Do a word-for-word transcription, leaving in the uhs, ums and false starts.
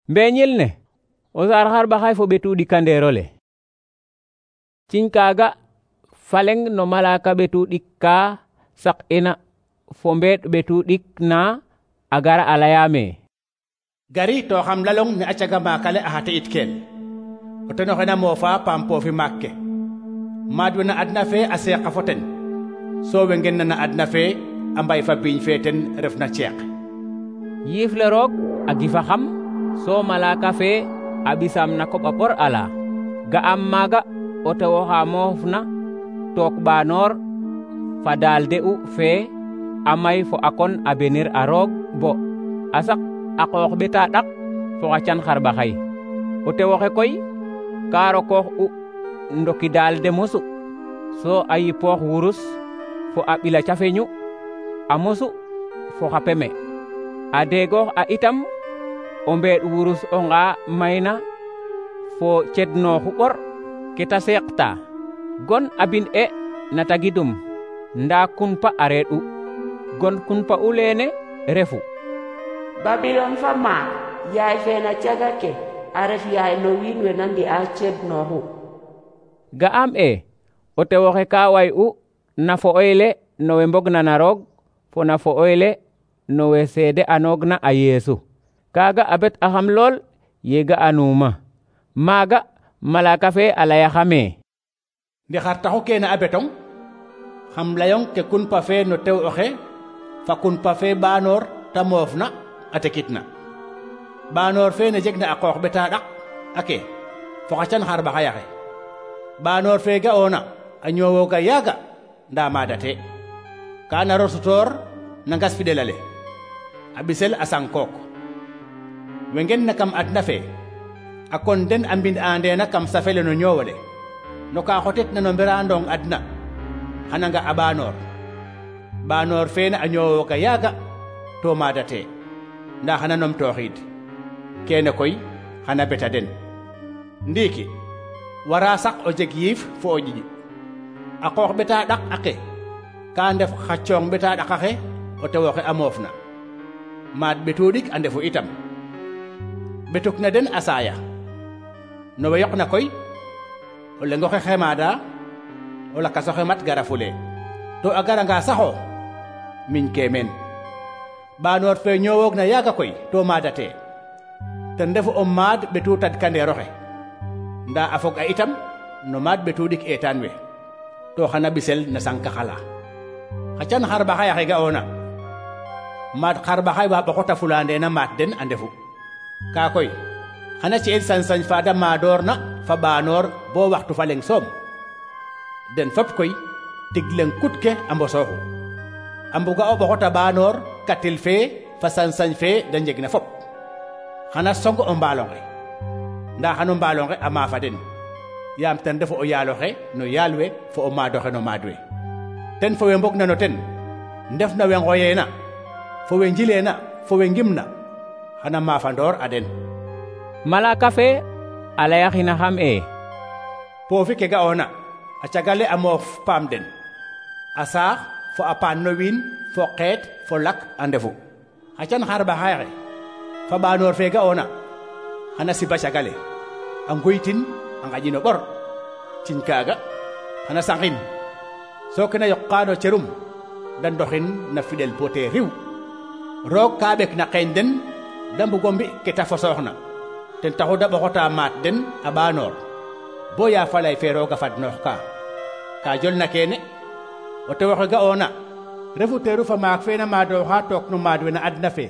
Mbeñil ne o saar xarɓaxay fo ɓetu ɗikandeerole. Ciñ kaaga faleng no malaka ɓetu ɗik ka sak ina fo mbeeɗ ɓetu ɗik na a gara a layame: gari to xam lalong ne a caga maakale a xate it keel o ten oxe na moofa paam poofi maak ke. maad we na adna fe a seeqa fo ten, so we ngen na na adna fe a mbay fa biiñ fe ten ref na ceeq. Yiif le roog a gifa xam, so malaka fe a ɓisam na koɓa ɓor ala. ga'am maaga o tew oxa moofna took ɓaanoor fa daal de'u fe a may fo a kon a benir a roog bo a sak a qoox ɓeta ɗak fo xa can xarɓaxay. o tew oxe koy ka rokoox u ndoki daal de mosu, so a yipoox wurus fo a ɓila cafeñu a mosu fo xa peme. a deegoox a itam o mbeeɗ wurus onga mayna fo cednooxu ɓor ke ta seeqta. gon a bin e na tagidum nda kunpa a reeɗ u. gon kunpa u leene refu: Babilon fa maak, yaay fe na caga ke a ref yaay no wiin we na mbi'a cednooxu. ga'am e o tew oxe ka way u na fo'oyle no we mbogna na roog fo na fo'oyle no we seede anoogna a Yeesu. kaaga a bet axam lool ye ga'anuma. maaga malaka fe a layaxame: ndi xar taxu kene a betong? xam layong ke kunpa fe no tew oxe fa kunpa fe ɓaanoor ta moofna a tekitna. ɓaanoor fe ne jegna a qoox ɓeta ɗak ake fo xa can xarɓaxayaxe. ɓaanoor fe ga'oona a ñoowooga yaaga nda maadate. ka naro sutoor na ngas fiɗelale a ɓisel a sankook. we ngen na kam adna fe a kon den a mbind andeena kam safele no ñoowole, no ka xotet na no mberaandong adna xana nga a ɓaanoor. ɓaanoor feene a ñoowooga yaaga to maadate, nda xana numtooxiid. kene koy xana beta den. ndiiki wara sak o jeg yiif fo o ƴiƴ. a qoox ɓeta ɗak ake ka ndef xa coong ɓeta ɗakaxe o tew oxe a moofna. maad ɓetu ɗik a ndefu itam. ɓetuk na den a saaya. no we yoqna koy o leng oxe xemaada, o lakas oxe mat gara fule, to a garanga saxo miñ ke meen. ɓaanoor fe ñoowoogna yaaga koy to maadate, ten refu o maad ɓetu tadkandeer oxe, nda a fog a itam no maad ɓetu ɗik eetaan we, to xana ɓisel na sankaxala. xa can xarɓaxayaxe ga'oona, maad xarɓaxay wa ɓoxota fulandeena maat den a ndefu. ka koy xana ci'el sañ-sañ fa da maadoorna fa ɓaanoor bo waxtu fa leng soom. den fop koy tig leng kut ke a mbosooxu, a mbuga o ɓoxota ɓaanoor katil fe fa sañ-sañ fe da njegna fop. xana song o mbaalonge, nda xano mbaalonge a maafa den, yaam ten refu o yaaloxe no yaal we fo o maadoxe no maad we. ten fo we mbogna no ten ndef na we ngoyeena fo we njileena fo we ngimna xana maafandoor a den. malaka fe a layaxina xam e: poofi ke ga'oona a cagale a moof paam den, a saax fo a paan no wiin fo qeet fo lak a ndefu. xa can xarɓaxayaxe fa ɓaanoor fe ga'oona xana siba cagale a ngoytin a ngaƴino ɓor. ciñ kaaga xana saxin, so kena yoqa no cerum da ndoxin na fiɗel bo te riw. roog ka ɓek na qeeñ den da mbugo mbi ke ta fosooxna, ten taxu da ɓoxota maat den a ɓaanoor bo ya falay fe rooga fadnoox ka. ka jolna kene o tew oxe ga'oona refu teeru fa maak fe na maadooxa took no maad we na adna fe,